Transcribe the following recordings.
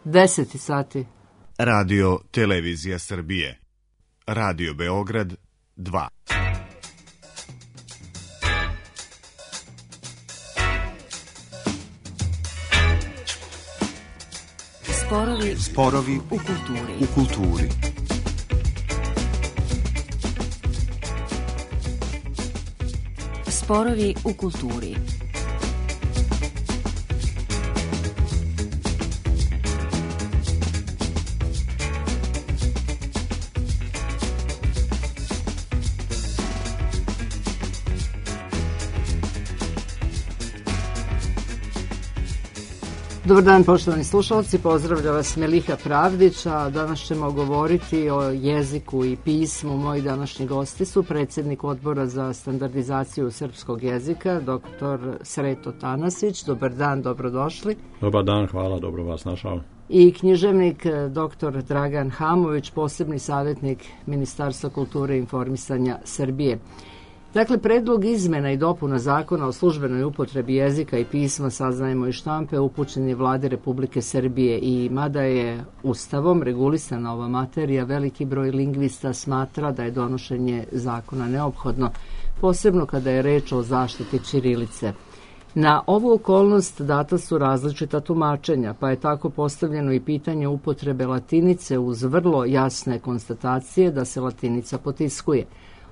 10 sati. Radio Televizija Srbije. Radio Beograd 2. Sporovi u kulturi. Sporovi u kulturi. Dobar dan, poštovani slušalci, pozdravlja vas Meliha Pravdić, a danas ćemo govoriti o jeziku i pismu. Moji današnji gosti su predsjednik Odbora za standardizaciju srpskog jezika, dr. Sreto Tanasić. Dobar dan, dobrodošli. Dobar dan, hvala, dobro vas našao. I književnik dr. Dragan Hamović, posebni savjetnik Ministarstva kulture i informisanja Srbije. Dakle, predlog izmjena i dopuna zakona o službenoj upotrebi jezika i pisma, saznajemo iz štampe, upućen je Vladi Republike Srbije i mada je Ustavom regulisana ova materija, veliki broj lingvista smatra da je donošenje zakona neophodno, posebno kada je reč o zaštiti ćirilice. Na ovu okolnost data su različita tumačenja, pa je tako postavljeno i pitanje upotrebe latinice uz vrlo jasne konstatacije da se latinica potiskuje.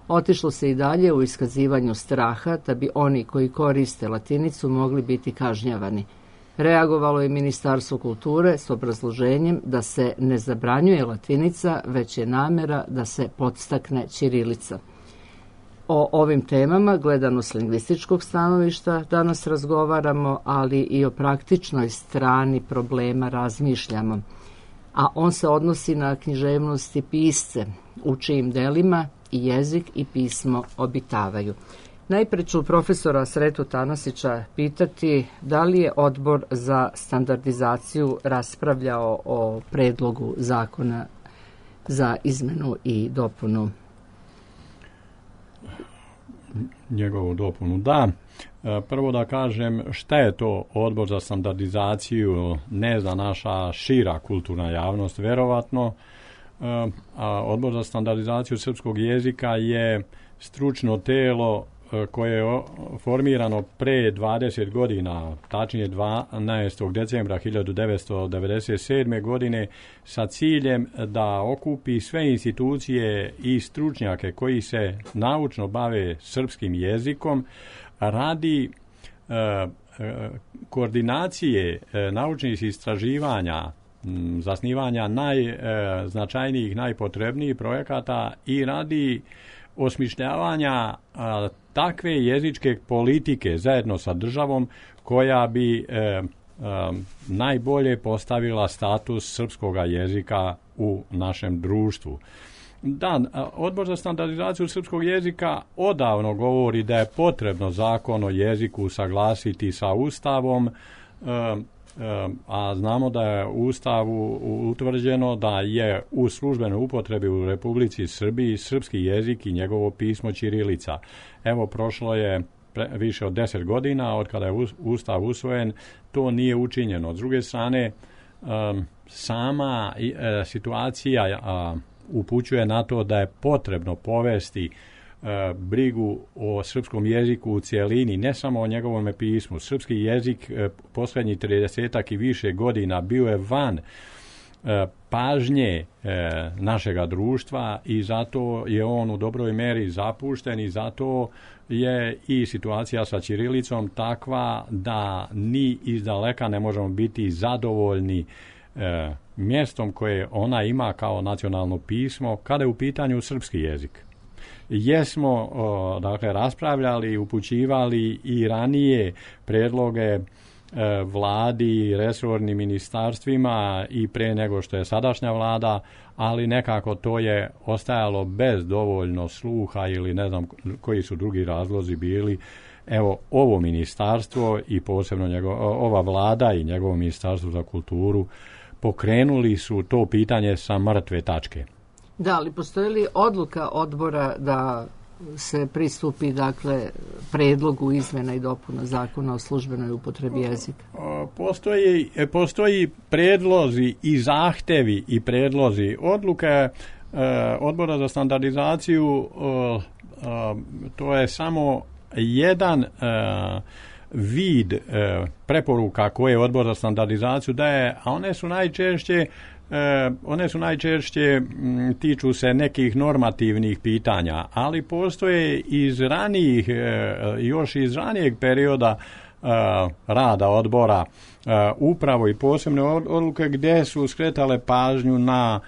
Otišlo se i dalje u iskazivanju straha da bi oni koji koriste latinicu mogli biti kažnjavani. Reagovalo je Ministarstvo kulture s obrazloženjem da se ne zabranjuje latinica, već je namjera da se podstakne ćirilica. O ovim temama, gledano s lingvističkog stanovišta, danas razgovaramo, ali i o praktičnoj strani problema razmišljamo. A on se odnosi na književnost i pisce, u čijim delima i jezik i pismo obitavaju. Najprije ću profesora Sretu Tanasića pitati da li je Odbor za standardizaciju raspravljao o predlogu zakona za izmenu i dopunu. Njegovu dopunu, da. Prvo da kažem šta je to Odbor za standardizaciju, ne zna naša šira kulturna javnost, verovatno. Odbor za standardizaciju srpskog jezika je stručno telo koje je formirano pre 20 godina, tačnije 12. decembra 1997. godine, sa ciljem da okupi sve institucije i stručnjake koji se naučno bave srpskim jezikom radi koordinacije naučnih istraživanja, zasnivanja najznačajnijih, najpotrebnijih projekata i radi osmišljavanja takve jezičke politike zajedno sa državom koja bi najbolje postavila status srpskog jezika u našem društvu. Da, Odbor za standardizaciju srpskog jezika odavno govori da je potrebno zakon o jeziku usaglasiti sa Ustavom, a znamo da je u Ustavu utvrđeno da je u službenoj upotrebi u Republici Srbiji srpski jezik i njegovo pismo ćirilica. Evo, prošlo je više od 10 godina od kada je Ustav usvojen, to nije učinjeno. S druge strane, sama situacija upućuje na to da je potrebno povesti brigu o srpskom jeziku u cijelini, ne samo o njegovom pismu. Srpski jezik posljednjih 30 i više godina bio je van pažnje našega društva i zato je on u dobroj meri zapušten i zato je i situacija sa ćirilicom takva da ni izdaleka ne možemo biti zadovoljni mjestom koje ona ima kao nacionalno pismo kada je u pitanju srpski jezik. Jesmo raspravljali, upućivali i ranije predloge vladi, resornim ministarstvima i pre nego što je sadašnja vlada, ali nekako to je ostajalo bez dovoljno sluha ili ne znam koji su drugi razlozi bili. Evo, ovo ministarstvo i posebno ova vlada i njegovo ministarstvo za kulturu pokrenuli su to pitanje sa mrtve tačke. Da, ali postoji li odluka odbora da se pristupi, dakle, predlogu izmjena i dopuna zakona o službenoj upotrebi jezika? Postoji predlozi i zahtevi i predlozi odluke Odbora za standardizaciju. To je samo jedan vid preporuka koje Odbor za standardizaciju daje, a one su najčešće tiču se nekih normativnih pitanja, ali postoje još iz ranijeg perioda rada odbora upravo i posebne odluke gdje su skretale pažnju na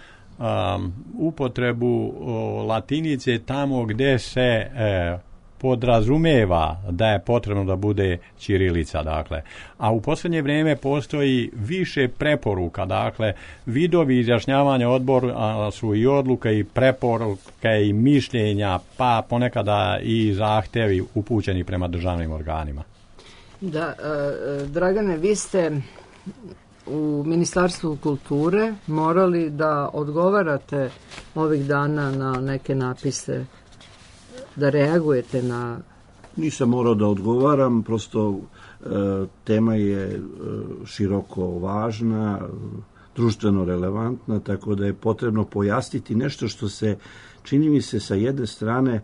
upotrebu latinice tamo gdje se podrazumeva da je potrebno da bude ćirilica, dakle. A u posljednje vrijeme postoji više preporuka, dakle, vidovi izjašnjavanja odbora su i odluke i preporuke i mišljenja, pa ponekada i zahtevi upućeni prema državnim organima. Da, Dragane, vi ste u Ministarstvu kulture morali da odgovarate ovih dana na neke napise, da reagujete na... Nisam morao da odgovaram, prosto tema je široko važna, društveno relevantna, tako da je potrebno pojasniti nešto što se, čini mi se, sa jedne strane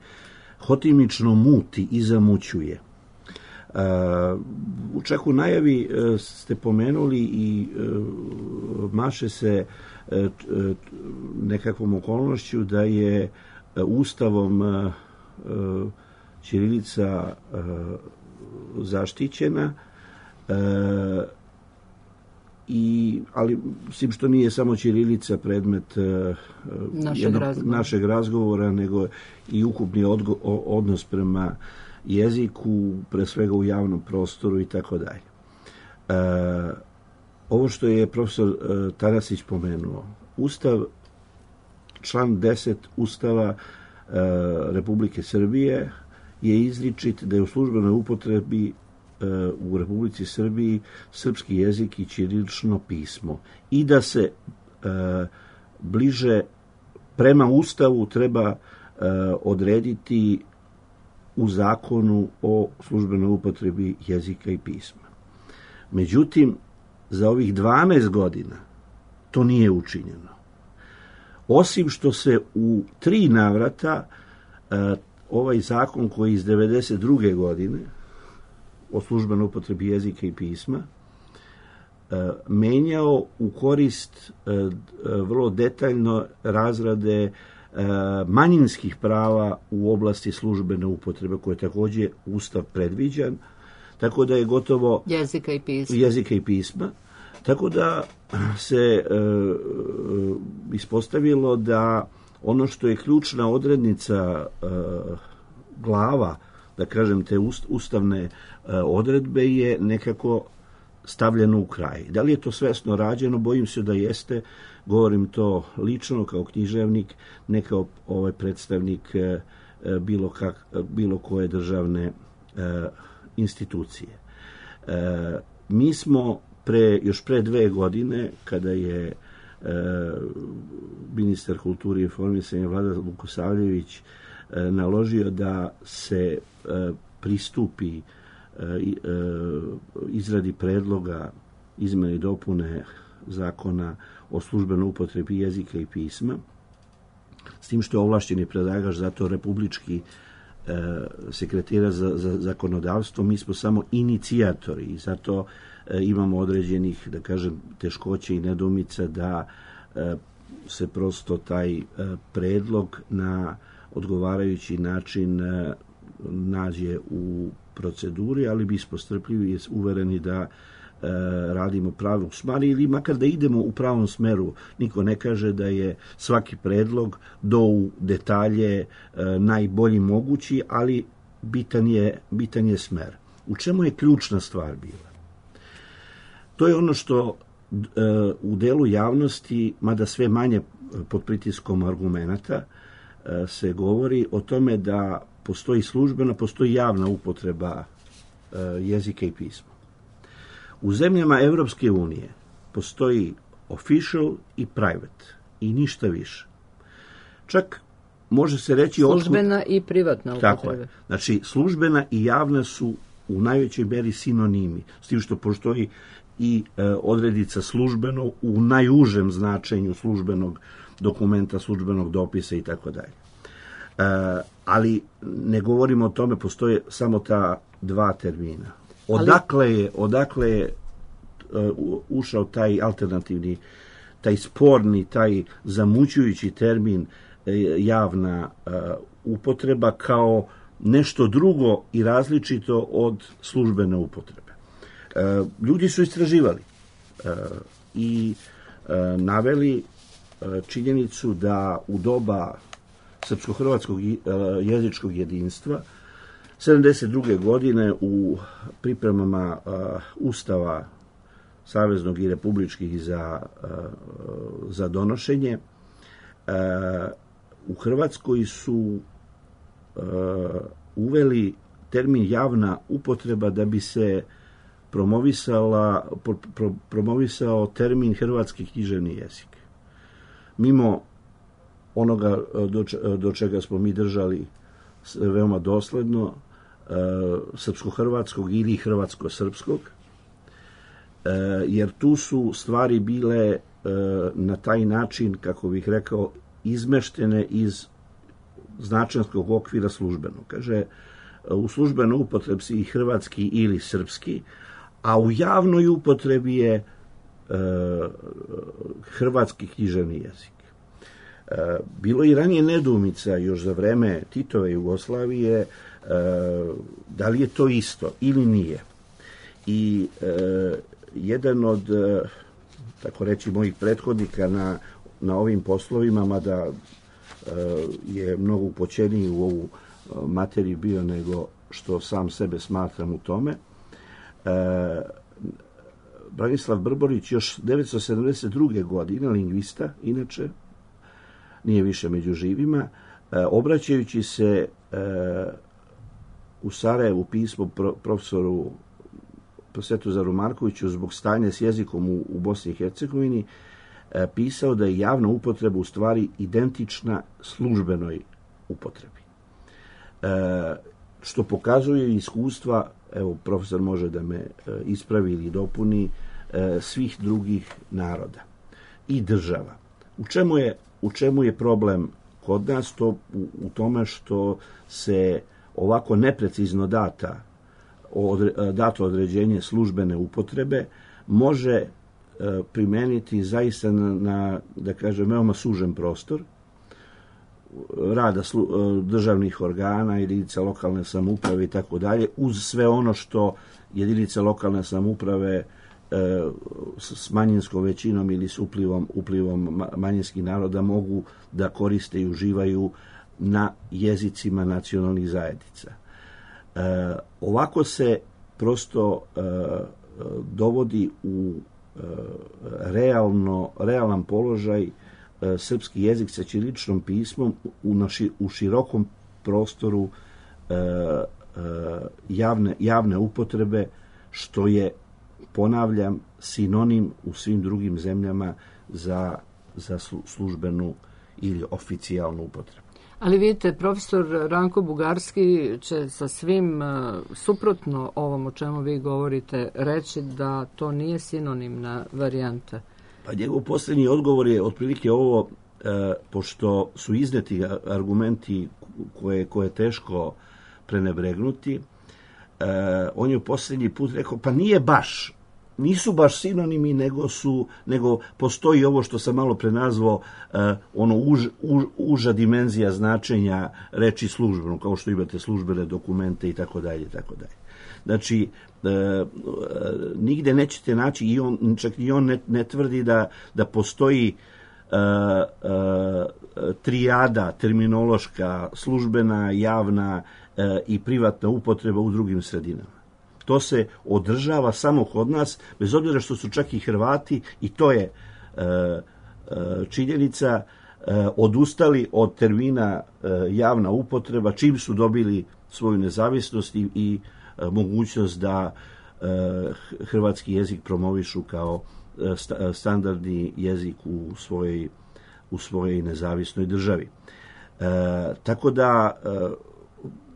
hotimično muti i zamućuje. Čak u najavi ste pomenuli i maše se nekakvom okolnošću da je Ustavom ćirilica zaštićena, ali mislim što nije samo ćirilica predmet našeg razgovora, nego i ukupni odnos prema jeziku, pre svega u javnom prostoru i tako dalje. Ovo što je profesor Tarasić pomenuo, Ustav, član 10 Ustava Republike Srbije je izričit da je u službenoj upotrebi u Republici Srbiji srpski jezik i ćirilično pismo i da se bliže prema Ustavu treba odrediti u zakonu o službenoj upotrebi jezika i pisma. Međutim, za ovih 12 godina to nije učinjeno. Osim što se u 3 navrata ovaj zakon koji je iz 1992. godine o službenoj upotrebi jezika i pisma menjao u korist vrlo detaljno razrade manjinskih prava u oblasti službene upotrebe, koje je također Ustav predviđan, tako da je gotovo jezika i pisma. Tako da se ispostavilo da ono što je ključna odrednica glava, da kažem, te ustavne odredbe je nekako stavljeno u kraj. Da li je to svesno rađeno? Bojim se da jeste. Govorim to lično kao književnik, ne kao predstavnik bilo koje državne institucije. Mi smo još pre 2 godine, kada je ministar kulture i informisanja Vlada Vukosavljević naložio da se pristupi izradi predloga izmene i dopune zakona o službenoj upotrebi jezika i pisma, s tim što je ovlašćeni predlagač za to republički sekretara za zakonodavstvo. Mi smo samo inicijatori i zato imamo određenih, da kažem, teškoća i nedoumica da se prosto taj predlog na odgovarajući način nađe u proceduri, ali bismo strpljivi i uvereni da radimo pravu stvar ili makar da idemo u pravom smeru. Niko ne kaže da je svaki predlog do u detalje najbolji mogući, ali bitan je smer. U čemu je ključna stvar bila? To je ono što u delu javnosti, mada sve manje pod pritiskom argumenata, se govori o tome da postoji službena, postoji javna upotreba jezika i pisma. U zemljama Evropske unije postoji official i private i ništa više. Čak može se reći... Službena i privatna upotreba. Tako je. Znači, službena i javna su u najvećoj meri sinonimi, s tim što postoji i odredica službeno u najužem značenju službenog dokumenta, službenog dopisa i tako dalje. Ali ne govorimo o tome, postoje samo ta dva termina. Odakle je ušao taj alternativni, taj sporni, taj zamućujući termin javna upotreba kao nešto drugo i različito od službene upotrebe. Ljudi su istraživali i naveli činjenicu da u doba srpsko-hrvatskog jezičkog jedinstva 72. godine u pripremama Ustava saveznog i republičkih za donošenje u Hrvatskoj su uveli termin javna upotreba da bi se promovisao termin hrvatski književni jezik. Mimo onoga do čega smo mi držali veoma dosledno, srpsko-hrvatskog ili hrvatsko-srpskog, jer tu su stvari bile na taj način, kako bih rekao, izmeštene iz značenskog okvira službenog. Kaže, u službenoj upotrebi i hrvatski ili srpski, a u javnoj upotrebi je hrvatski književni jezik. Bilo i ranije nedoumica još za vreme Titove Jugoslavije da li je to isto ili nije. I jedan od, tako reći, mojih prethodnika na ovim poslovima, mada je mnogo upoćeniji u ovu materiju bio nego što sam sebe smatram u tome, Branislav Brborić još 1972. godine, lingvista, inače, nije više među živima, obraćajući se u Sarajevu pismo profesoru Svetozar Markoviću zbog stanja s jezikom u Bosni i Hercegovini, pisao da je javna upotreba u stvari identična službenoj upotrebi. Što pokazuje iskustva, evo profesor može da me ispravi ili dopuni, svih drugih naroda i država. U čemu je problem kod nas? To u tome što se ovako neprecizno dato određenje službene upotrebe može primeniti zaista na, da kažem, veoma sužen prostor rada državnih organa, jedinica lokalne samouprave i tako dalje, uz sve ono što jedinice lokalne samouprave s manjinskom većinom ili s uplivom manjinskih naroda mogu da koriste i uživaju na jezicima nacionalnih zajednica. Ovako se prosto dovodi u realan položaj srpski jezik sa ćiriličnom pismom u širokom prostoru javne upotrebe, što je, ponavljam, sinonim u svim drugim zemljama za službenu ili oficijalnu upotrebu. Ali vidite, profesor Ranko Bugarski će sa svim suprotno ovom o čemu vi govorite reći da to nije sinonimna varijanta. Pa njegov posljednji odgovor je otprilike ovo, pošto su izneti argumenti koje je teško prenebregnuti, on je posljednji put rekao, pa nisu baš sinonimi, nego postoji ovo što sam malo prenazvao, uža dimenzija značenja reči službeno, kao što imate službene dokumente i tako dalje, tako dalje. Znači, nigde nećete naći, čak i on ne tvrdi da postoji trijada terminološka, službena, javna i privatna upotreba u drugim sredinama. To se održava samo kod nas, bez obzira što su čak i Hrvati, i to je činjenica, odustali od termina javna upotreba čim su dobili svoju nezavisnost i mogućnost da hrvatski jezik promovišu kao standardni jezik u svojoj nezavisnoj državi. Tako da,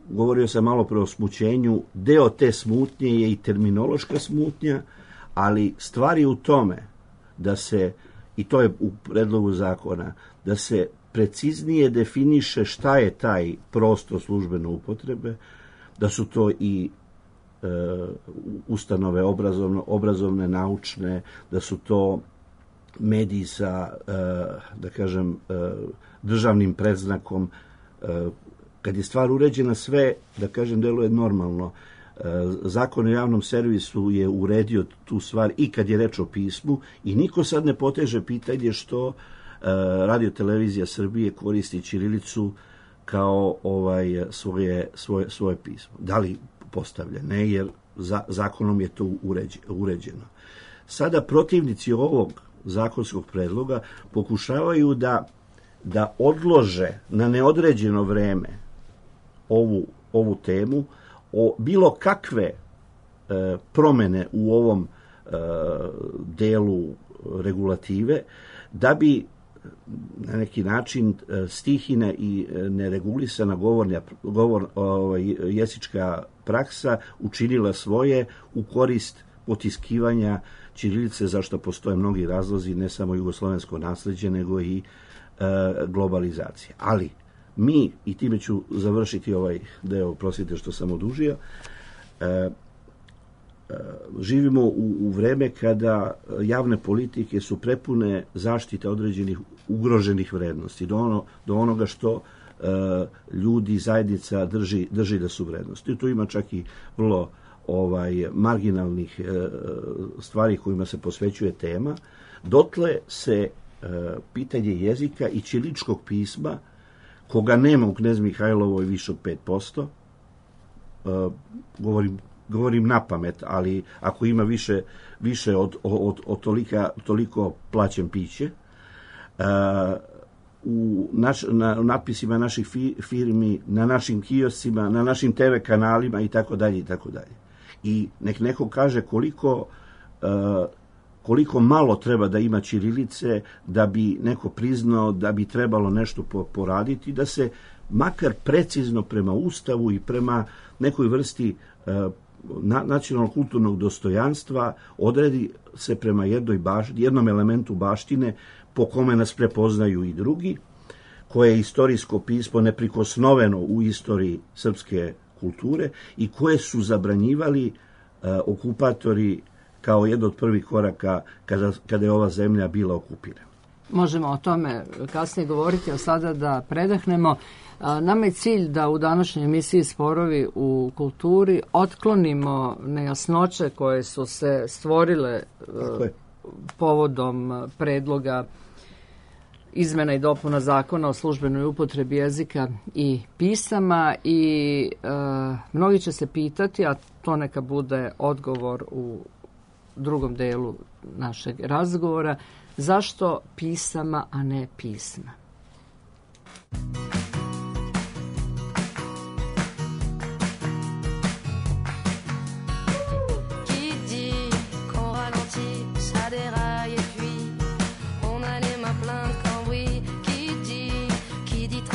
govorio sam malo pre o smućenju, deo te smutnje je i terminološka smutnja, ali stvar je u tome da se, i to je u predlogu zakona, da se preciznije definiše šta je taj prostor službene upotrebe, da su to i ustanove obrazovne, naučne, da su to mediji sa, da kažem, državnim predznakom. Kad je stvar uređena, sve, da kažem, deluje normalno. Zakon o javnom servisu je uredio tu stvar i kad je reč o pismu i niko sad ne poteže pitanje što Radio Televizija Srbije koristi ćirilicu kao svoje pismo. Da li postavlja? Ne, jer zakonom je to uređeno. Sada protivnici ovog zakonskog predloga pokušavaju da odlože na neodređeno vreme ovu temu, o bilo kakve promene u ovom delu regulative, da bi na neki način stihina i neregulisana jezička praksa učinila svoje u korist potiskivanja ćirilice, zašto postoje mnogi razlozi, ne samo jugoslovensko nasleđe, nego i globalizacija. Ali mi, i time ću završiti ovaj deo, prosite što sam odužio, živimo u vreme kada javne politike su prepune zaštite određenih ugroženih vrednosti, do onoga što ljudi, zajednica drži da su vrednosti. I tu ima čak i vrlo marginalnih stvari kojima se posvećuje tema. Dotle se pitanje jezika i ćiriličkog pisma, koga nema u Knez Mihajlovoj više od 5%, govorim na pamet, ali ako ima više od toliko plaćen piće, u natpisima naših firmi, na našim kioscima, na našim TV kanalima i tako dalje i tako dalje. I nek neko kaže koliko malo treba da ima ćirilice da bi neko priznao da bi trebalo nešto poraditi, da se makar precizno prema Ustavu i prema nekoj vrsti nacionalnog kulturnog dostojanstva odredi se prema jednom elementu baštine po kome nas prepoznaju i drugi, koje je istorijsko pismo neprikosnoveno u istoriji srpske kulture i koje su zabranjivali okupatori kao jedno od prvih koraka kada je ova zemlja bila okupirana. Možemo o tome kasnije govoriti, a sada da predahnemo. Nama je cilj da u današnjoj emisiji Sporovi u kulturi otklonimo nejasnoće koje su se stvorile povodom predloga izmena i dopuna zakona o službenoj upotrebi jezika i pisama i mnogi će se pitati, a to neka bude odgovor u drugom delu našeg razgovora, zašto pisama, a ne pisma? Ici, qui dit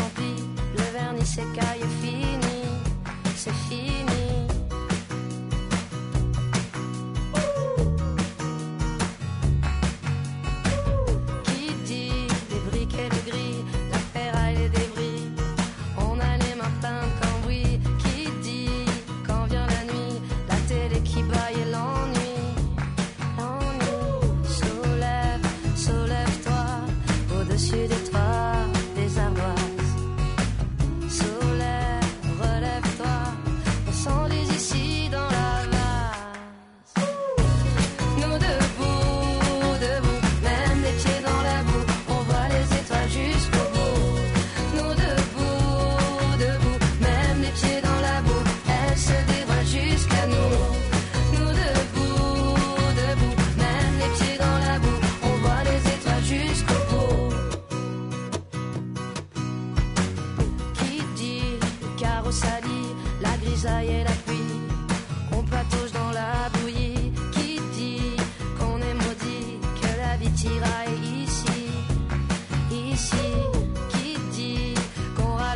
qu'on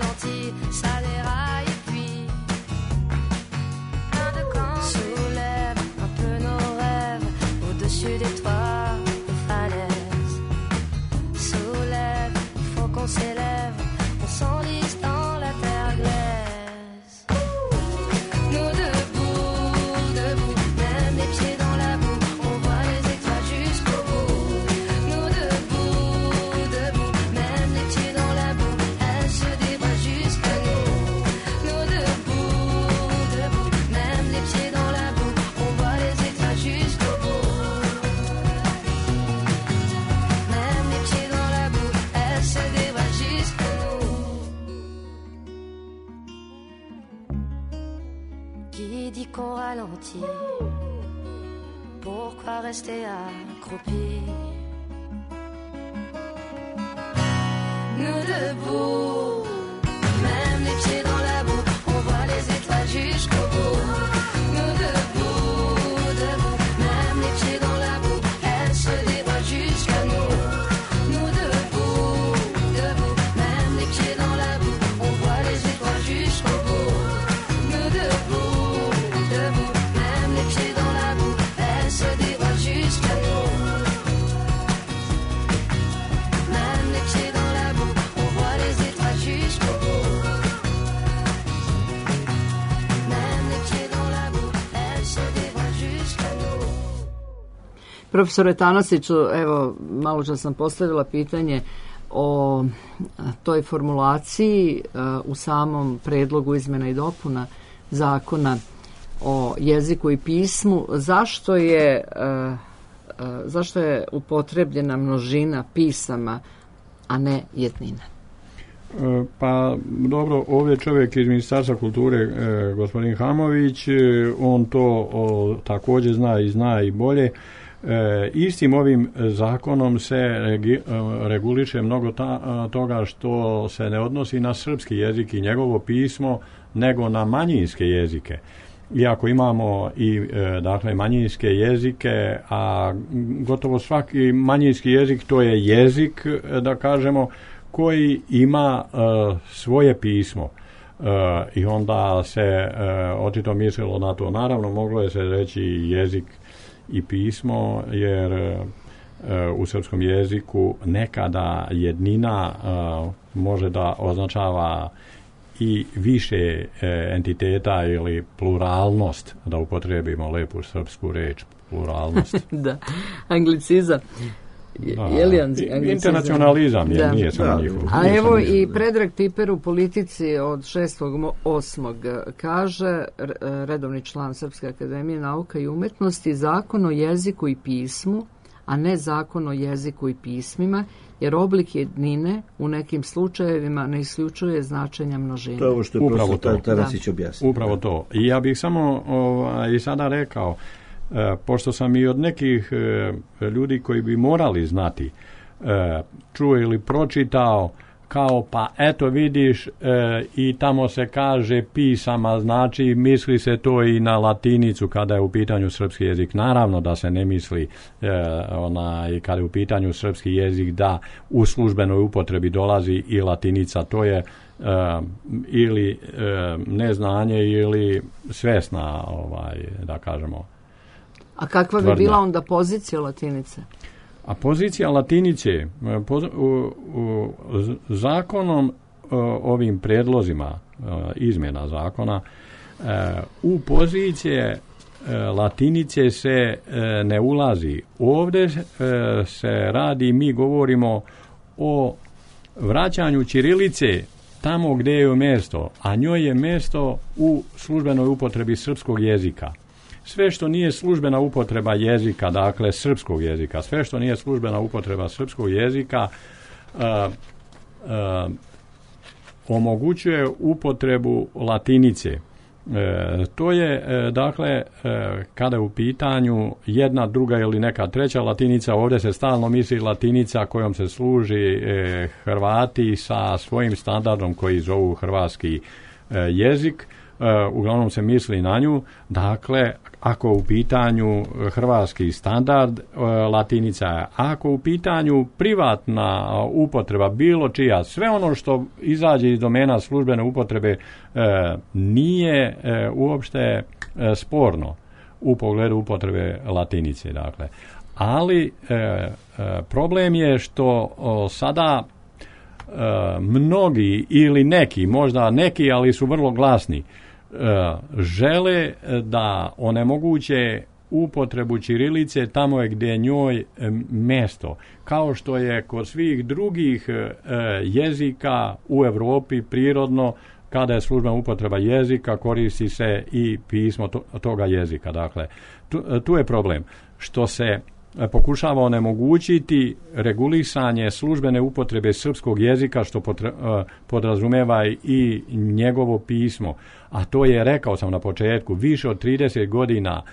métier. Pourquoi rester accroupi? Nous debout, même les pieds dans la boue, on voit les étoiles jusqu'au bout. Nous debout, debout, même les pieds dans la boue, elles se dévoilent jusqu'à nous. Nous debout, debout, même les pieds dans la boue, on voit les étoiles jusqu'au bout. Nous debout, debout, même les pieds dans la boue, elles se dévoilent jusqu'à nous. Même les pieds dans la boue, on voit les étoiles jusqu'au bout. Même les pieds dans la boue, elles se dévoilent jusqu'à nous. Profesore Tanasiću, evo, malo čas sam postavila pitanje o toj formulaciji u samom predlogu izmjena i dopuna zakona o jeziku i pismu. Zašto je upotrebljena množina pisama, a ne jednina? Pa dobro, ovdje čovjek iz Ministarstva kulture, gospodin Hamović, on to također zna i bolje. Istim ovim zakonom se reguliše mnogo toga što se ne odnosi na srpski jezik i njegovo pismo, nego na manjinske jezike. Iako imamo i dakle manjinske jezike, a gotovo svaki manjinski jezik to je jezik, da kažemo, koji ima svoje pismo. I onda se očito mislilo na to. Naravno, moglo je se reći jezik i pismo, jer u srpskom jeziku nekada jednina može da označava i više entiteta ili pluralnost, da upotrijebimo lepu srpsku reč, pluralnost. Da, anglicizam. Internacionalizam je, nije samo njihov. A evo i Predrag Piper u Politici od 6.8. kaže, redovni član Srpske akademije nauka i umetnosti, zakon o jeziku i pismu, a ne zakon o jeziku i pismima, jer oblik jednine u nekim slučajevima ne isključuje značenja množine. To je ovo što je profesor Tanasić objasnio. Upravo to. I ja bih samo i sada rekao, pošto sam i od nekih ljudi koji bi morali znati, čuo ili pročitao, kao pa eto vidiš i tamo se kaže pisama, znači misli se to i na latinicu kada je u pitanju srpski jezik. Naravno da se ne misli kada je u pitanju srpski jezik da u službenoj upotrebi dolazi i latinica. To je ili neznanje ili svesna, da kažemo. A kakva bi bila onda pozicija latinice? A pozicija latinice zakonom, ovim prijedlozima izmjena zakona, u pozicije latinice se ne ulazi. Ovdje se radi, mi govorimo o vraćanju ćirilice tamo gdje je mjesto, a njoj je mjesto u službenoj upotrebi srpskog jezika. Sve što nije službena upotreba jezika, dakle srpskog jezika, sve što nije službena upotreba srpskog jezika omogućuje upotrebu latinice. To je, dakle, kada je u pitanju jedna, druga ili neka treća latinica, ovdje se stalno misli latinica kojom se služi Hrvati sa svojim standardom koji zovu hrvatski jezik. Uglavnom se misli na nju. Dakle, ako u pitanju hrvatski standard, latinica je. Ako u pitanju privatna upotreba, bilo čija, sve ono što izađe iz domena službene upotrebe nije uopšte sporno u pogledu upotrebe latinice. Dakle. Ali problem je što sada mnogi ili neki, možda neki, ali su vrlo glasni, žele da onemoguće upotrebu ćirilice tamo je gdje je njoj mjesto. Kao što je kod svih drugih jezika u Europi prirodno, kada je službena upotreba jezika, koristi se i pismo toga jezika. Dakle, tu je problem. Što se pokušava onemogućiti regulisanje službene upotrebe srpskog jezika, što podrazumeva i njegovo pismo. A to je, rekao sam na početku, više od 30 godina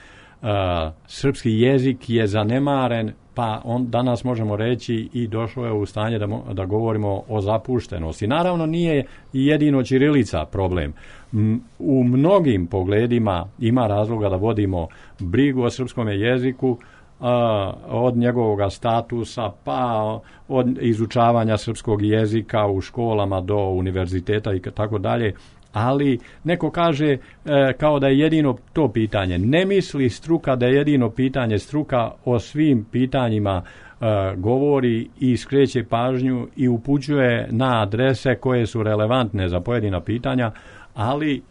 srpski jezik je zanemaren, pa danas možemo reći i došlo je u stanje da govorimo o zapuštenosti. Naravno, nije jedino ćirilica problem. U mnogim pogledima ima razloga da vodimo brigu o srpskom jeziku, od njegovog statusa pa od izučavanja srpskog jezika u školama do univerziteta i tako dalje, ali neko kaže kao da je jedino to pitanje. Ne misli struka da je jedino pitanje. Struka o svim pitanjima govori i skreće pažnju i upućuje na adrese koje su relevantne za pojedina pitanja, ali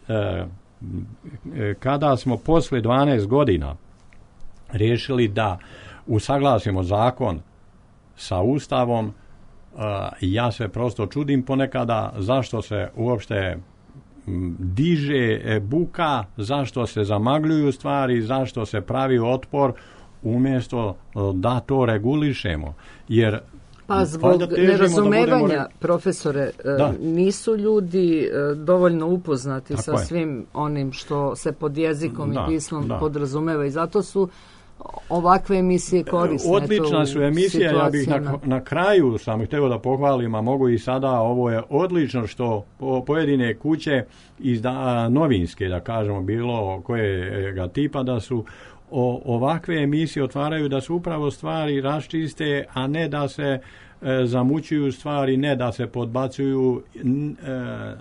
kada smo posle 12 godina riješili da usaglasimo zakon sa Ustavom, ja se prosto čudim ponekada zašto se uopšte diže buka, zašto se zamagljuju stvari, zašto se pravi otpor umjesto da to regulišemo. Jer pa zbog nerazumevanja, profesore, nisu ljudi dovoljno upoznati sa svim onim što se pod jezikom i pismom podrazumeva i zato su ovakve emisije korisne. Odlična su emisije, ja bih na kraju sam htio da pohvalim, a mogu i sada, ovo je odlično što pojedine kuće novinske, da kažemo, bilo kojega tipa, da su ovakve emisije otvaraju da su upravo stvari raščiste, a ne da se zamućuju stvari, ne da se podbacuju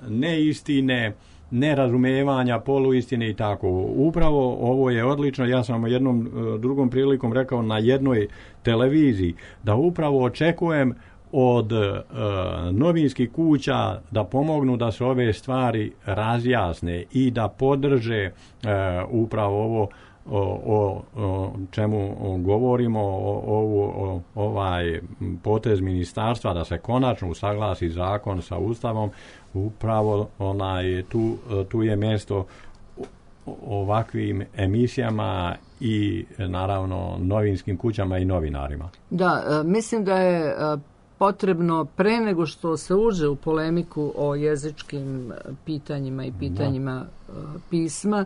neistine, nerazumevanja, poluistine i tako. Upravo ovo je odlično. Ja sam jednom drugom prilikom rekao na jednoj televiziji da upravo očekujem od novinskih kuća da pomognu da se ove stvari razjasne i da podrže upravo ovo o čemu govorimo, ovaj potez ministarstva da se konačno usaglasi zakon sa Ustavom. Upravo tu je mjesto ovakvim emisijama i naravno novinskim kućama i novinarima. Da, mislim da je potrebno pre nego što se uđe u polemiku o jezičkim pitanjima i pitanjima pisma,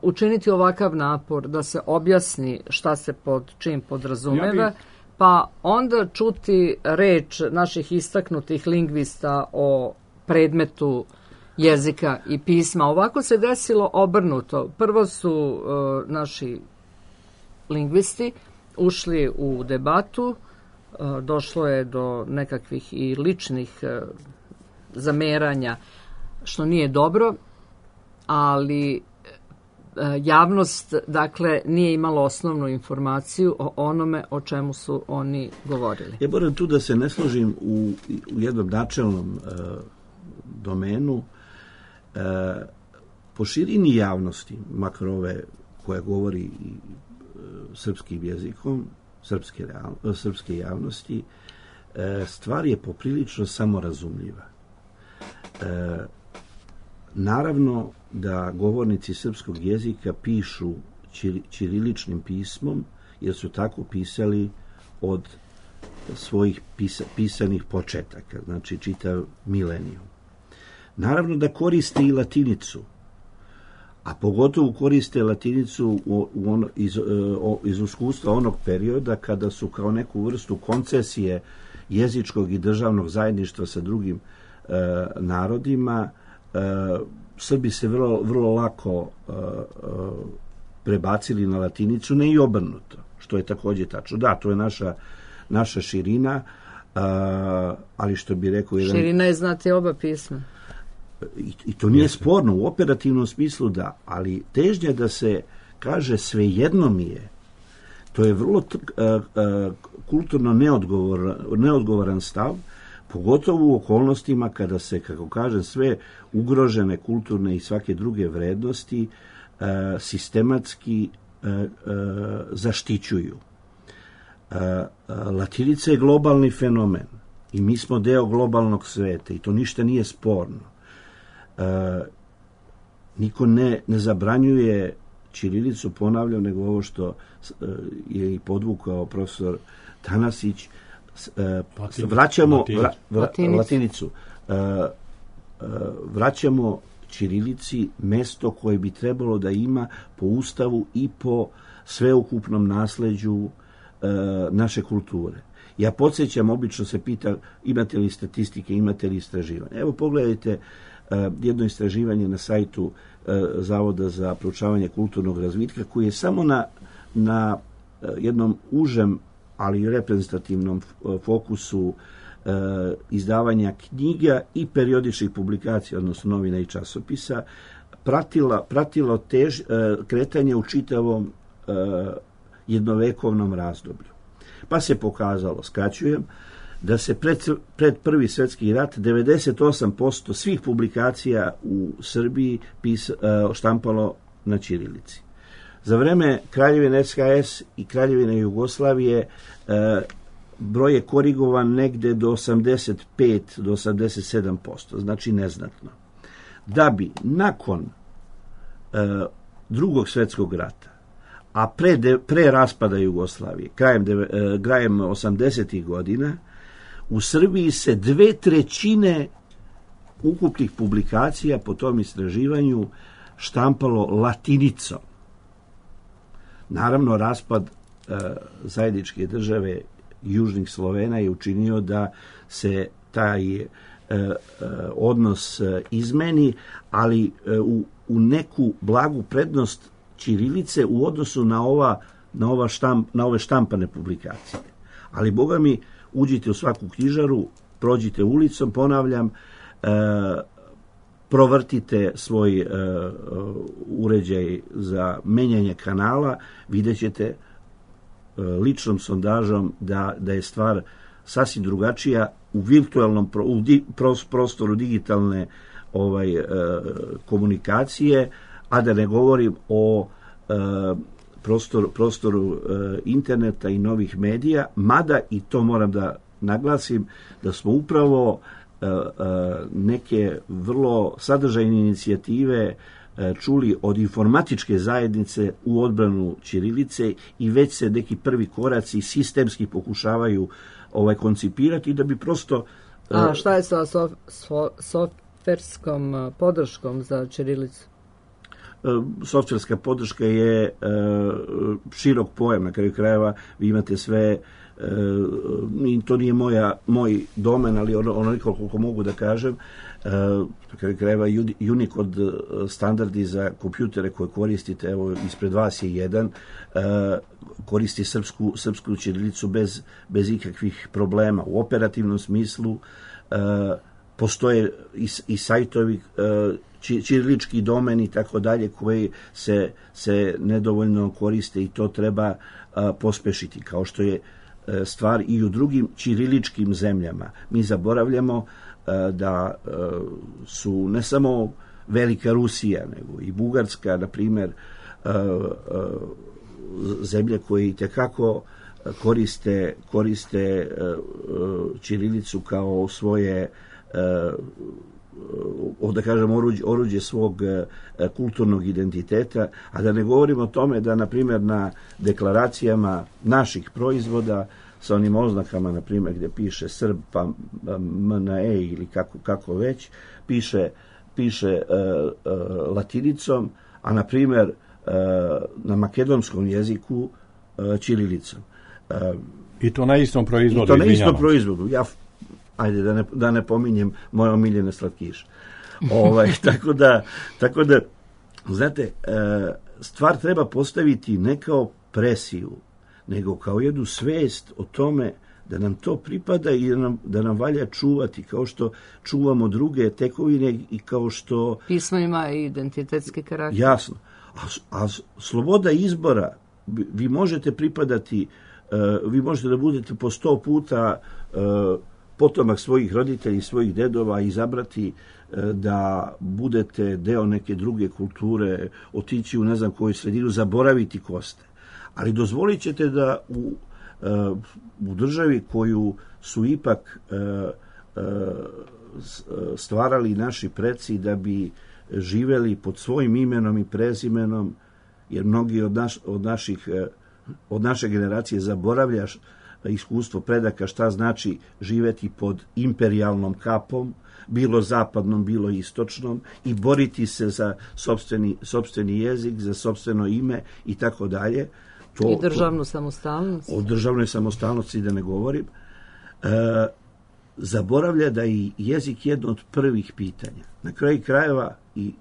učiniti ovakav napor da se objasni šta se pod čim podrazumeva, pa onda čuti reč naših istaknutih lingvista o predmetu jezika i pisma. Ovako se desilo obrnuto. Prvo su naši lingvisti ušli u debatu, došlo je do nekakvih i ličnih zameranja, što nije dobro, ali javnost, dakle, nije imala osnovnu informaciju o onome o čemu su oni govorili. Ja moram tu da se ne složim u jednom načelnom domenu. Po širini javnosti, makar ove koja govori srpskim jezikom, srpske javnosti, stvar je poprilično samorazumljiva. Naravno da govornici srpskog jezika pišu ćiriličnim pismom, jer su tako pisali od svojih pisanih početaka, znači čitav milenijum. Naravno da koriste i latinicu, a pogotovo koriste latinicu iz iskustva onog perioda kada su kao neku vrstu koncesije jezičkog i državnog zajedništva sa drugim narodima, Srbi se vrlo lako prebacili na latinicu, ne i obrnuto, što je također tačno. Da, to je naša širina, ali što bi rekao... Širina je znati oba pisma. I to nije sporno, u operativnom smislu da, ali težnja da se kaže svejedno mi je, to je vrlo kulturno neodgovoran stav, pogotovo u okolnostima kada se, kako kažem, sve ugrožene kulturne i svake druge vrednosti sistematski zaštićuju. Latinica je globalni fenomen i mi smo deo globalnog sveta i to ništa nije sporno. Niko ne zabranjuje ćirilicu, ponavljam, nego ovo što je i podvukao profesor Tanasić, vraćamo latinicu. Vraćamo ćirilici mesto koje bi trebalo da ima po Ustavu i po sveukupnom nasleđu naše kulture. Ja podsjećam, obično se pita imate li statistike, imate li istraživanje. Evo pogledajte jedno istraživanje na sajtu Zavoda za proučavanje kulturnog razvitka koji je samo na jednom užem, ali reprezentativnom fokusu izdavanja knjiga i periodičnih publikacija, odnosno novina i časopisa, pratilo kretanje u čitavom jednovekovnom razdoblju. Pa se pokazalo, skraćujem, da se pred Prvi svjetski rat 98% svih publikacija u Srbiji štampalo na ćirilici. Za vreme Kraljevine SHS i Kraljevine Jugoslavije broj je korigovan negde do 85 do 87%, znači neznatno. Da bi nakon Drugog svjetskog rata, a pre raspada Jugoslavije, krajem 80. godina, u Srbiji se 2/3 ukupnih publikacija po tom istraživanju štampalo latinicom. Naravno, raspad zajedničke države Južnih Slovena je učinio da se taj odnos izmeni, ali u neku blagu prednost ćirilice u odnosu na ove štampane publikacije. Ali, boga mi, uđite u svaku knjižaru, prođite ulicom, ponavljam, provrtite svoj uređaj za menjanje kanala, vidjet ćete ličnom sondažom da je stvar sasvim drugačija u virtualnom prostoru digitalne komunikacije, a da ne govorim o prostoru interneta i novih medija, mada, i to moram da naglasim, da smo upravo neke vrlo sadržajne inicijative čuli od informatičke zajednice u odbranu ćirilice i već se neki prvi koraci sistemski pokušavaju koncipirati da bi prosto... A šta je sa softverskom podrškom za ćirilicu? Softverska podrška je širok pojam, na kraju krajeva vi imate sve, to nije moj domen, ali onoliko koliko mogu da kažem, na kraju krajeva Unicode standardi za kompjutere koje koristite, evo ispred vas je jedan, koristi srpsku ćirilicu bez ikakvih problema. U operativnom smislu postoje i sajtovi ćirilički domen i tako dalje koji se nedovoljno koriste i to treba pospešiti, kao što je stvar i u drugim ćiriličkim zemljama. Mi zaboravljamo da su ne samo Velika Rusija, nego i Bugarska, na primjer, zemlje koje itekako koriste ćirilicu kao svoje, da kažem, oruđe svog kulturnog identiteta, a da ne govorimo o tome da, na primjer, na deklaracijama naših proizvoda sa onim oznakama, na primjer, gdje piše Srb, pa MNE ili kako već, piše latinicom, a, na primjer, na makedonskom jeziku ćirilicom. I to na istom proizvodu. I to na istom proizvodu. Ajde, da ne pominjem moje omiljene slatkiše. Tako da, znate, stvar treba postaviti ne kao presiju, nego kao jednu svest o tome da nam to pripada i da nam valja čuvati, kao što čuvamo druge tekovine i kao što... Pismo ima i identitetski karakter. Jasno. A sloboda izbora, vi možete pripadati, vi možete da budete po 100 puta potomak svojih roditelja i svojih dedova, izabrati da budete deo neke druge kulture, otići u ne znam koju sredinu, zaboraviti ko ste. Ali dozvolit ćete da u državi koju su ipak stvarali naši preci da bi živeli pod svojim imenom i prezimenom, jer mnogi od naše generacije zaboravljaš iskustvo predaka šta znači živeti pod imperijalnom kapom, bilo zapadnom, bilo istočnom, i boriti se za sopstveni jezik, za sopstveno ime i tako dalje. I državnu samostalnost. O državnoj samostalnosti da ne govorim. Zaboravlja da je jezik jedno od prvih pitanja. Na kraju krajeva, i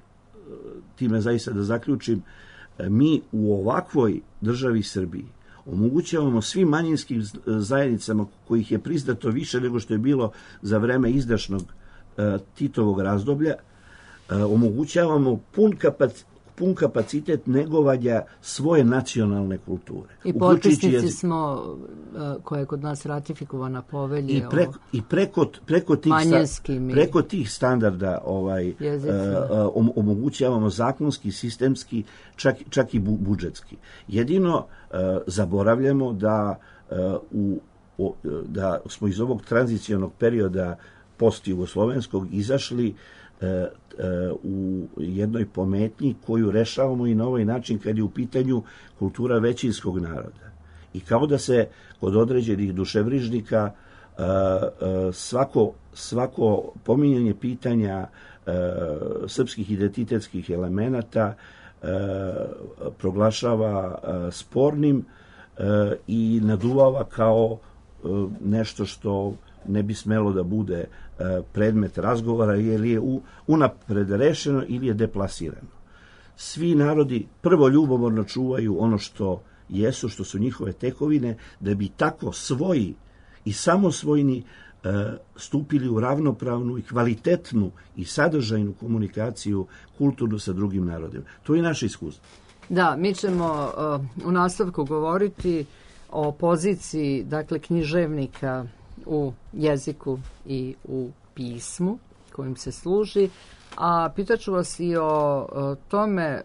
time zaista da zaključim, mi u ovakvoj državi Srbiji omogućavamo svim manjinskim zajednicama, kojih je priznato više nego što je bilo za vreme izdašnog Titovog razdoblja, omogućavamo pun kapacitet negovanja svoje nacionalne kulture. I potpisnici smo, koja je kod nas ratifikovana povelje preko tih standarda omogućavamo zakonski, sistemski, čak i budžetski. Jedino zaboravljamo da smo iz ovog tranzicionog perioda post-jugoslovenskog izašli u jednoj pometnji koju rešavamo i na ovaj način kad je u pitanju kultura većinskog naroda. I kao da se kod određenih duševrižnika svako pominjanje pitanja srpskih identitetskih elemenata proglašava spornim i naduvava kao nešto što ne bi smelo da bude predmet razgovora, jer je unapred rešeno ili je deplasirano. Svi narodi prvo ljubomorno čuvaju ono što jesu, što su njihove tekovine, da bi tako svoji i samosvojni stupili u ravnopravnu i kvalitetnu i sadržajnu komunikaciju kulturnu sa drugim narodima. To je naše iskustvo. Da, mi ćemo u nastavku govoriti o poziciji, dakle, književnika u jeziku i u pismu kojim se služi, a pitaću vas i o tome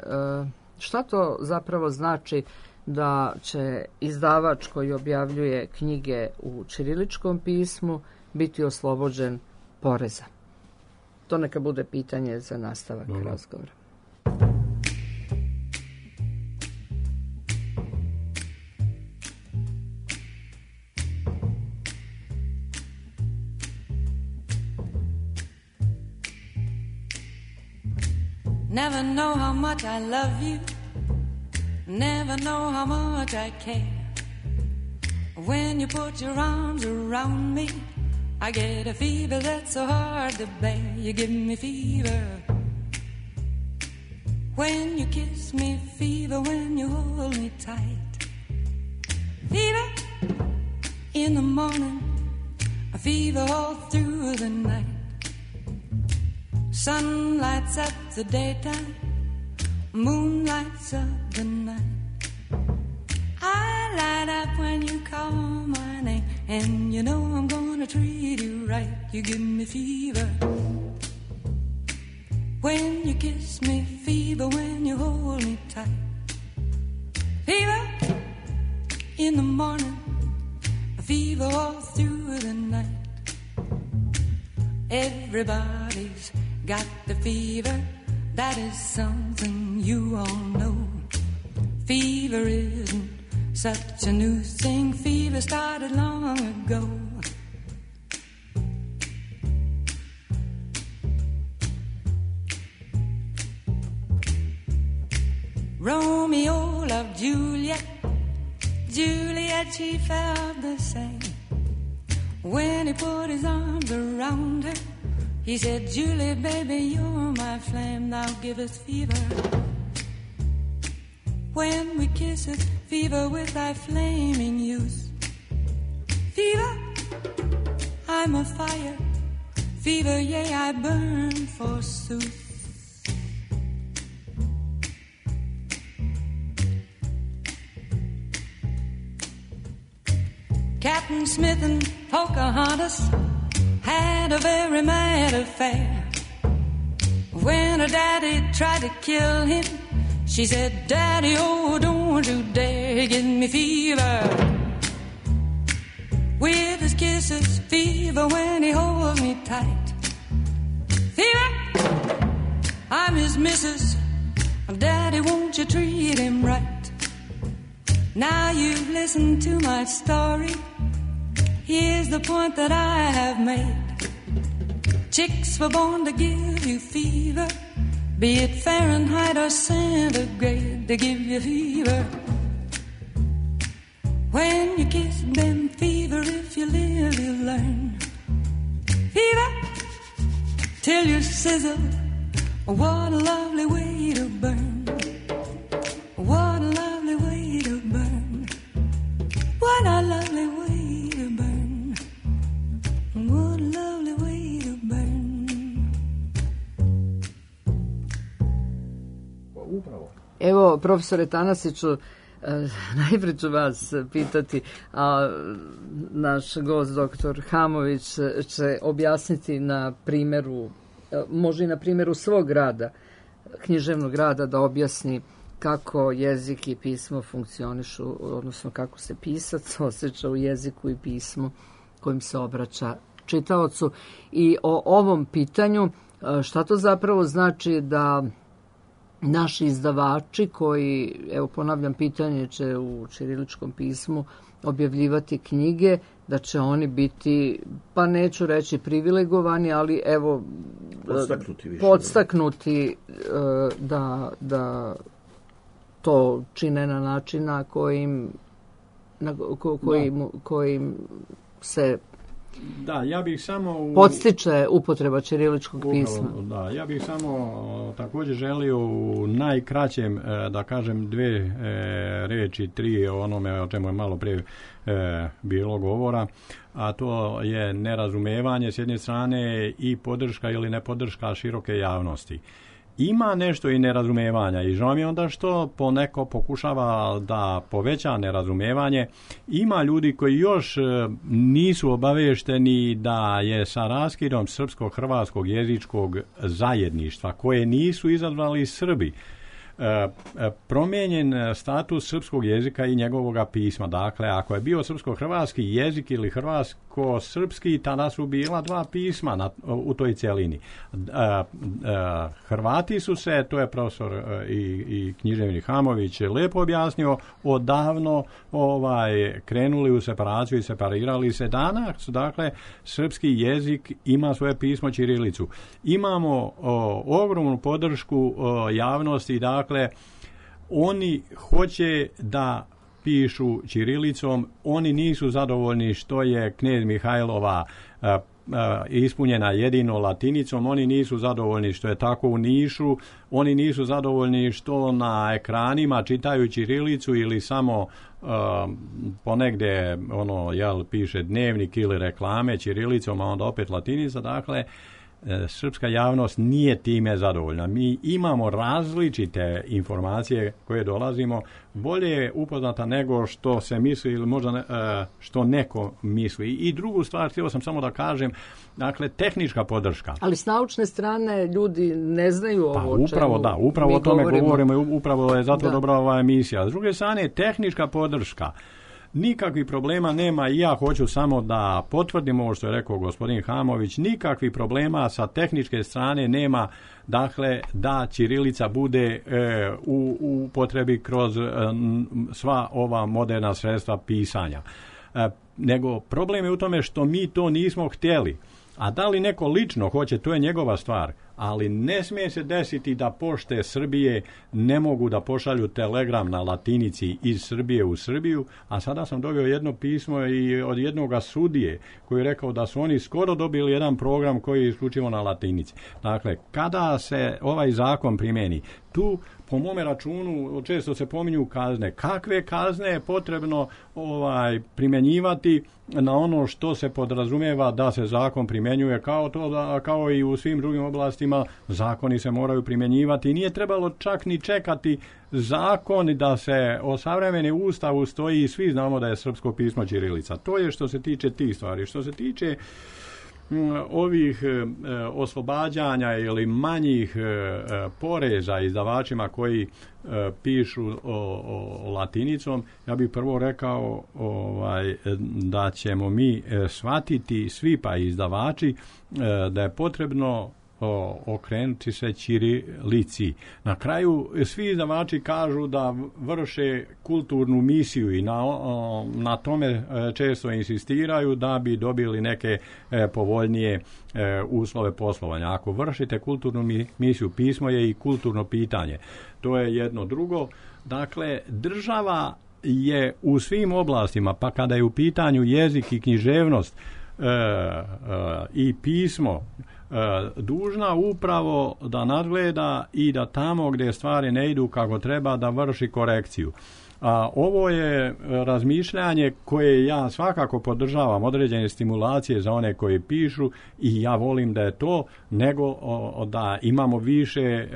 šta to zapravo znači da će izdavač koji objavljuje knjige u ćiriličkom pismu biti oslobođen poreza. To neka bude pitanje za nastavak razgovora. Never know how much I love you, never know how much I care. When you put your arms around me, I get a fever that's so hard to bear. You give me fever when you kiss me, fever when you hold me tight. Fever in the morning, a fever all through the night. Sun lights up the daytime, moon lights up the night. I light up when you call my name, and you know I'm gonna treat you right. You give me fever when you kiss me, fever when you hold me tight. Fever in the morning, a fever all through the night. Everybody's got the fever, that is something you all know. Fever isn't such a new thing, fever started long ago. Romeo loved Juliet, Juliet she felt the same. When he put his arms around her, he said, Julie, baby, you're my flame, thou givest fever. When we kiss it, fever with thy flaming youth. Fever, I'm a fire. Fever, yea, I burn forsooth. Captain Smith and Pocahontas had a very mad affair. When her daddy tried to kill him, she said, Daddy, oh, don't you dare give me fever. With his kisses, fever when he holds me tight. Fever, I'm his missus. Daddy, won't you treat him right? Now you've listened to my story. Here's the point that I have made. Chicks were born to give you fever, be it Fahrenheit or centigrade, they give you fever. When you kiss them, fever, if you live, you learn. Fever, till you sizzle. What a lovely way to burn. What a lovely way to burn. What a lovely way to burn. What a lovely way to burn. Evo, profesore Tanasiću, najprije ću vas pitati, a naš gost doktor Hamović će objasniti na primjeru, može i na primjeru svog rada, književnog rada, da objasni kako jezik i pismo funkcionišu, odnosno kako se pisac osjeća u jeziku i pismu kojim se obraća čitaocu. I o ovom pitanju, šta to zapravo znači da naši izdavači koji, evo ponavljam pitanje, će u ćiriličkom pismu objavljivati knjige, da će oni biti, pa neću reći privilegovani, ali evo podstaknuti da to čine na način na kojim se Da, ja bih samo podstiče upotreba ćiriličkog pisma. Da, ja bih samo također želio u najkraćem da kažem dve reči, tri o onome o čemu je malo prije bilo govora, a to je nerazumevanje s jedne strane i podrška ili nepodrška široke javnosti. Ima nešto i nerazumevanja i žao mi je onda što poneko pokušava da poveća nerazumevanje. Ima ljudi koji još nisu obavešteni da je sa raskidom srpsko-hrvatskog jezičkog zajedništva, koje nisu izazvali Srbi, promijenjen status srpskog jezika i njegovoga pisma. Dakle, ako je bio srpsko-hrvatski jezik ili hrvatsko-srpski, tada su bila dva pisma u toj cjelini. Hrvati su se, to je profesor i književnik Hamović lepo objasnio, odavno krenuli u separaciju i separirali se. Danas, dakle, srpski jezik ima svoje pismo ćirilicu. Imamo ogromnu podršku javnosti, dakle, oni hoće da pišu ćirilicom, oni nisu zadovoljni što je knez Mihajlova ispunjena jedino latinicom, oni nisu zadovoljni što je tako u Nišu, oni nisu zadovoljni što na ekranima čitaju ćirilicu ili samo ponegdje piše dnevnik ili reklame ćirilicom, a onda opet latinica. Dakle, srpska javnost nije time zadovoljna. Mi imamo različite informacije koje dolazimo, bolje je upoznata nego što se misli ili možda što neko misli. I drugu stvar, htio sam samo da kažem, dakle, tehnička podrška. Ali s naučne strane ljudi ne znaju ovo o čemu upravo o tome govorimo i upravo je zato dobra ova emisija. S druge strane, tehnička podrška. Nikakvih problema nema i ja hoću samo da potvrdim ovo što je rekao gospodin Hamović, nikakvih problema sa tehničke strane nema, dakle, da ćirilica bude u upotrebi kroz sva ova moderna sredstva pisanja. Nego problem je u tome što mi to nismo htjeli. A da li neko lično hoće, to je njegova stvar. Ali ne smije se desiti da pošte Srbije ne mogu da pošalju telegram na latinici iz Srbije u Srbiju, a sada sam dobio jedno pismo i od jednoga sudije koji je rekao da su oni skoro dobili jedan program koji je isključivo na latinici. Dakle, kada se ovaj zakon primeni, tu po mome računu često se pominju kazne. Kakve kazne je potrebno primjenjivati na ono što se podrazumijeva da se zakon primjenjuje, kao i u svim drugim oblastima zakoni se moraju primjenjivati. Nije trebalo čak ni čekati zakon da se osavremeni Ustavu stoji i svi znamo da je srpsko pismo ćirilica. To je što se tiče tih stvari. Što se tiče ovih oslobađanja ili manjih poreza izdavačima koji pišu latinicom, ja bih prvo rekao da ćemo mi shvatiti svi pa izdavači da je potrebno okrenuti se ćirilici. Na kraju svi izdavači kažu da vrše kulturnu misiju i na tome često insistiraju da bi dobili neke povoljnije uslove poslovanja. Ako vršite kulturnu misiju, pismo je i kulturno pitanje. To je jedno. Drugo, dakle, država je u svim oblastima, pa kada je u pitanju jezik i književnost i pismo, dužna upravo da nadgleda i da tamo gdje stvari ne idu kako treba da vrši korekciju. A ovo je razmišljanje koje ja svakako podržavam, određene stimulacije za one koji pišu i ja volim da je to, nego da imamo više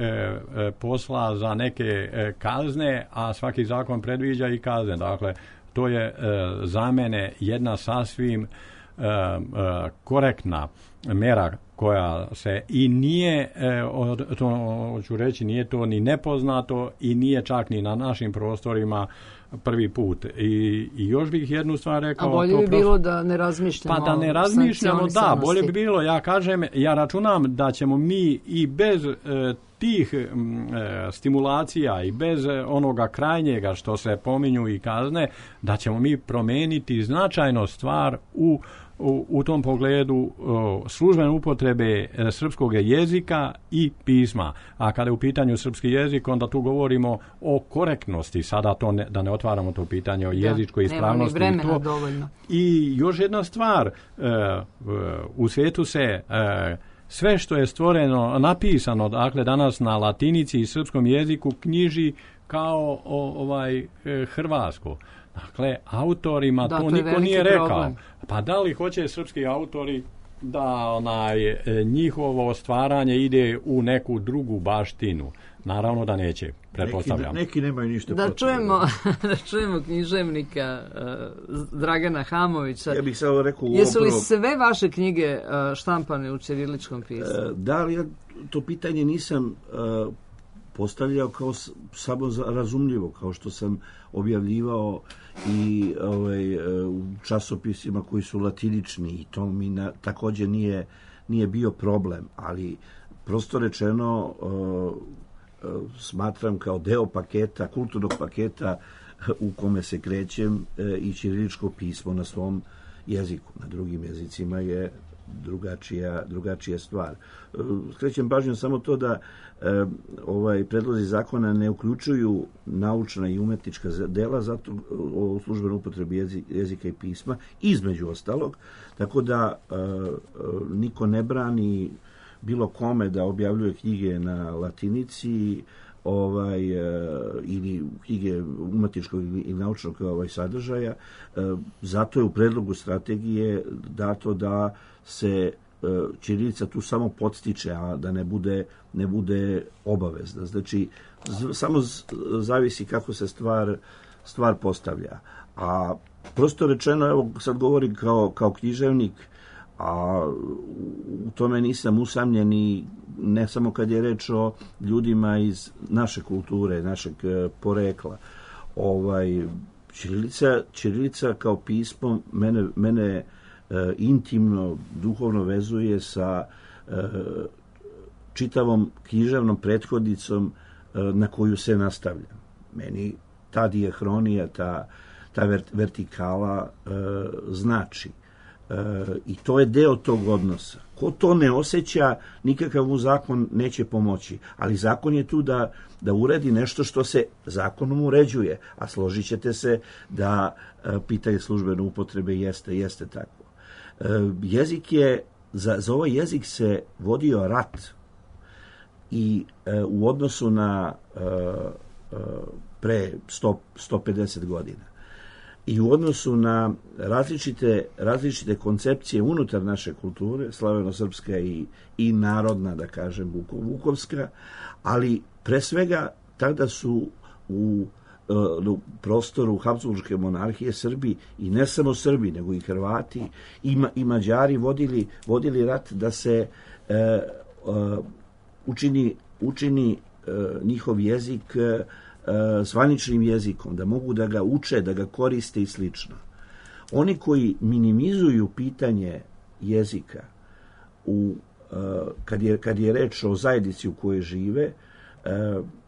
posla za neke kazne, a svaki zakon predviđa i kazne. Dakle, to je za mene jedna sasvim korektna mera koja se i nije, to hoću reći, nije to ni nepoznato i nije čak ni na našim prostorima prvi put. I još bih jednu stvar rekao. A bolje bi bilo da ne razmišljamo. Pa da ne razmišljamo, da, bolje bi bilo, ja računam da ćemo mi i bez tih stimulacija i bez onoga krajnjega što se pominju i kazne, da ćemo mi promijeniti značajno stvar u tom pogledu službene upotrebe srpskog jezika i pisma. A kada je u pitanju srpski jezik, onda tu govorimo o korektnosti. Sada to da ne otvaramo to pitanje o jezičkoj ispravnosti. Nema ni vremena dovoljno. I još jedna stvar, u svijetu se sve što je stvoreno, napisano, dakle danas na latinici i srpskom jeziku knjiži kao hrvatsko. Dakle, autorima to niko nije rekao. Problem. Pa da li hoće srpski autori da njihovo stvaranje ide u neku drugu baštinu? Naravno da neće, pretpostavljam. Neki nemaju ništa da čujemo književnika Dragana Hamovića. Ja bih samo rekao jesu li sve vaše knjige štampane u ćiriličkom pismu? Da, ali ja to pitanje nisam postavljao kao samo razumljivo, kao što sam objavljivao i u časopisima koji su latinični i to mi također nije bio problem, ali prosto rečeno smatram kao deo paketa, kulturnog paketa u kome se krećem i ćiriličko pismo na svom jeziku. Na drugim jezicima je drugačija stvar. Skrećem pažnju samo to da predlozi zakona ne uključuju naučna i umetnička dela zato o službenoj upotrebi jezika i pisma, između ostalog, tako da niko ne brani bilo kome da objavljuje knjige na latinici ili knjige umetničkog i naučnog sadržaja. Zato je u predlogu strategije dato da se ćirilica tu samo podstiče, a da ne bude obavezna. Znači, samo zavisi kako se stvar postavlja. A prosto rečeno, evo sad govorim kao književnik, a u tome nisam usamljen i ne samo kad je reč o ljudima iz naše kulture, našeg porekla. Ćirilica kao pismo mene intimno, duhovno vezuje sa čitavom književnom prethodnicom na koju se nastavlja. Meni ta dijahronija, ta vertikala znači. I to je deo tog odnosa. Ko to ne osjeća, nikakav mu zakon neće pomoći. Ali zakon je tu da uredi nešto što se zakonom uređuje. A složit ćete se da pitanje službene upotrebe jeste tako. Jezik je, za ovaj jezik se vodio rat i u odnosu na pre 150 godina. I u odnosu na različite koncepcije unutar naše kulture, slaveno-srpska i narodna, da kažem, vukovska, ali pre svega tada su u prostoru Habsburške monarhije Srbi, i ne samo Srbi, nego i Hrvati i Mađari vodili rat da se učini njihov jezik zvaničnim jezikom, da mogu da ga uče, da ga koriste i slično. Oni koji minimizuju pitanje jezika u kad je reč o zajednici u kojoj žive,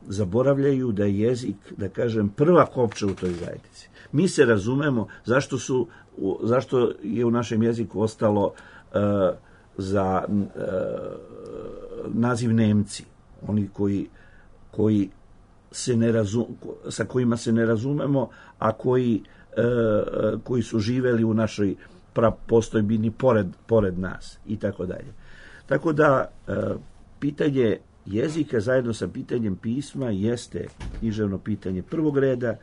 zaboravljaju da je jezik, da kažem, prva kopča u toj zajednici. Mi se razumemo zašto je u našem jeziku ostalo za naziv Nemci, oni koji se sa kojima se ne razumemo, a koji su živeli u našoj postojbini pored nas i tako dalje. Tako da pitanje jezika zajedno sa pitanjem pisma jeste književno pitanje prvog reda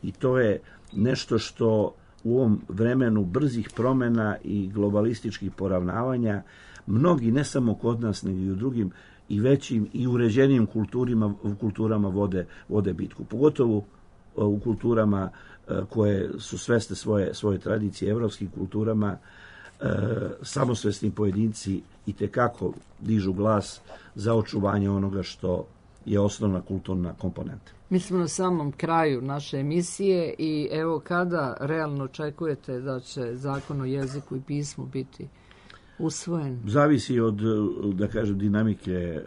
i to je nešto što u ovom vremenu brzih promjena i globalističkih poravnavanja mnogi, ne samo kod nas, nego i u drugim i većim i uređenijim kulturama vode bitku. Pogotovo u kulturama koje su svesne svoje tradicije, evropskim kulturama, samosvesni pojedinci itekako dižu glas za očuvanje onoga što je osnovna kulturna komponenta. Mi smo na samom kraju naše emisije i evo kada realno očekujete da će zakon o jeziku i pismu biti usvojen? Zavisi od, da kažem, dinamike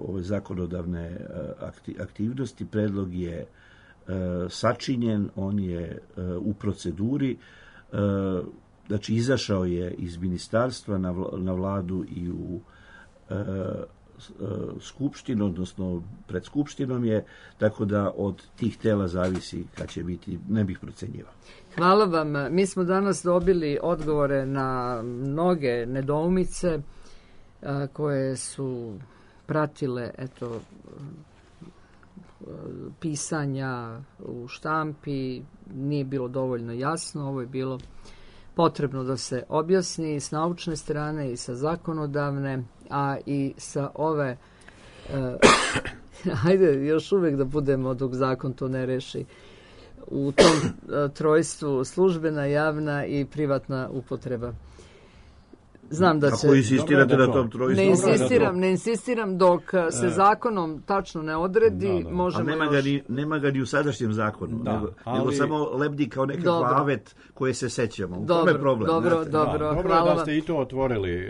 ove zakonodavne aktivnosti. Predlog je sačinjen, on je u proceduri, znači izašao je iz ministarstva na vladu i u skupštinu, odnosno pred skupštinom je, tako da od tih tela zavisi kad će biti, ne bih procenjivao. Hvala vam. Mi smo danas dobili odgovore na mnoge nedoumice koje su pratile pisanja u štampi. Nije bilo dovoljno jasno, ovo je bilo potrebno da se objasni s naučne strane i sa zakonodavne, a i sa ove hajde još uvijek da budemo dok zakon to ne reši u tom trojstvu službena, javna i privatna upotreba. Znam da će... Ako insistirate na tom trojstvu... Ne insistiram dok se zakonom tačno ne odredi, možemo još... Nema ga ni u sadašnjem zakonu, nego samo lebdi kao nekakav avet koje se sećamo. U tome je problem. Dobro, hvala da ste i to otvorili,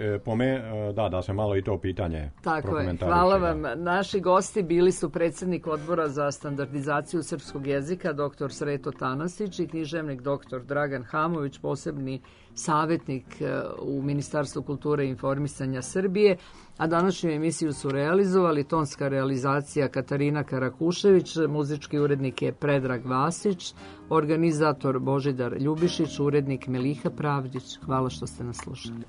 da se malo i to pitanje prokomentariše. Tako je, hvala vam. Naši gosti bili su predsjednik Odbora za standardizaciju srpskog jezika, dr. Sreto Tanasić, i književnik dr. Dragan Hamović, posebni savjetnik u Ministarstvu kulture i informisanja Srbije, a današnju emisiju su realizovali tonska realizacija Katarina Karakušević, muzički urednik je Predrag Vasić, organizator Božidar Ljubišić, urednik Meliha Pravdić. Hvala što ste nas slušali.